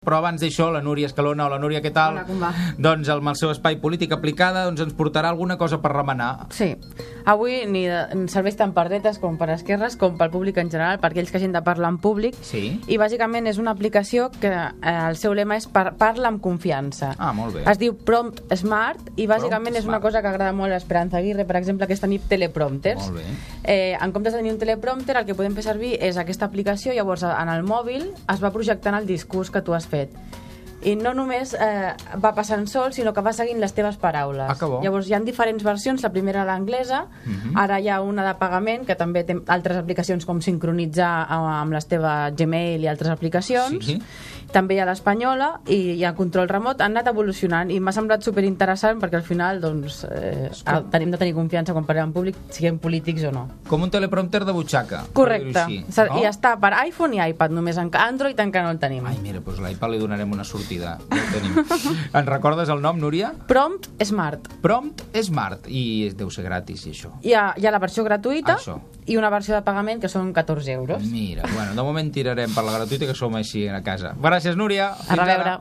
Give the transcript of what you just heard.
Però abans d'això, la Núria Escalona, o la Núria, què tal? Hola, com va? Doncs amb el seu espai Política Aplicada ens portarà alguna cosa per remenar. Sí. Avui serveix tant per dretes com per esquerres com pel públic en general, per aquells que hagin de parlar en públic. Sí. I bàsicament és una aplicació que el seu lema és parla amb confiança. Ah, molt bé. Es diu Prompt Smart i bàsicament Prompt és una Smart. cosa que agrada molt a Esperanza Aguirre, per exemple, que és tenir teleprompters. Molt bé. En comptes de tenir un teleprompter, el que podem fer servir és aquesta aplicació, llavors en el mòbil es va projectant el discurs que tu has fet. I no només va passant sol, sinó que va seguint les teves paraules. Ah, que bo. Llavors hi ha diferents versions, la primera l'anglesa, ara hi ha una de pagament, que també té altres aplicacions com sincronitzar amb les teves Gmail i altres aplicacions. Sí. També hi ha l'espanyola i hi ha control remot, han anat evolucionant i m'ha semblat superinteressant perquè al final doncs, tenim de tenir confiança quan parlem en públic, siguem polítics o no. Com un teleprompter de butxaca. Correcte. Així, no? I està per iPhone i iPad, només en Android encara no el tenim. Ai, mira, doncs l'iPad li donarem una sortida. Ja ho tenim. Ens recordes el nom, Núria? Prompt Smart. Prompt Smart. I deu ser gratis, i això. Hi ha la versió gratuïta Això. i una versió de pagament que són 14 euros. Mira, bueno, de moment tirarem per la gratuïta, que som així a casa. Gràcies, Núria. A reveure.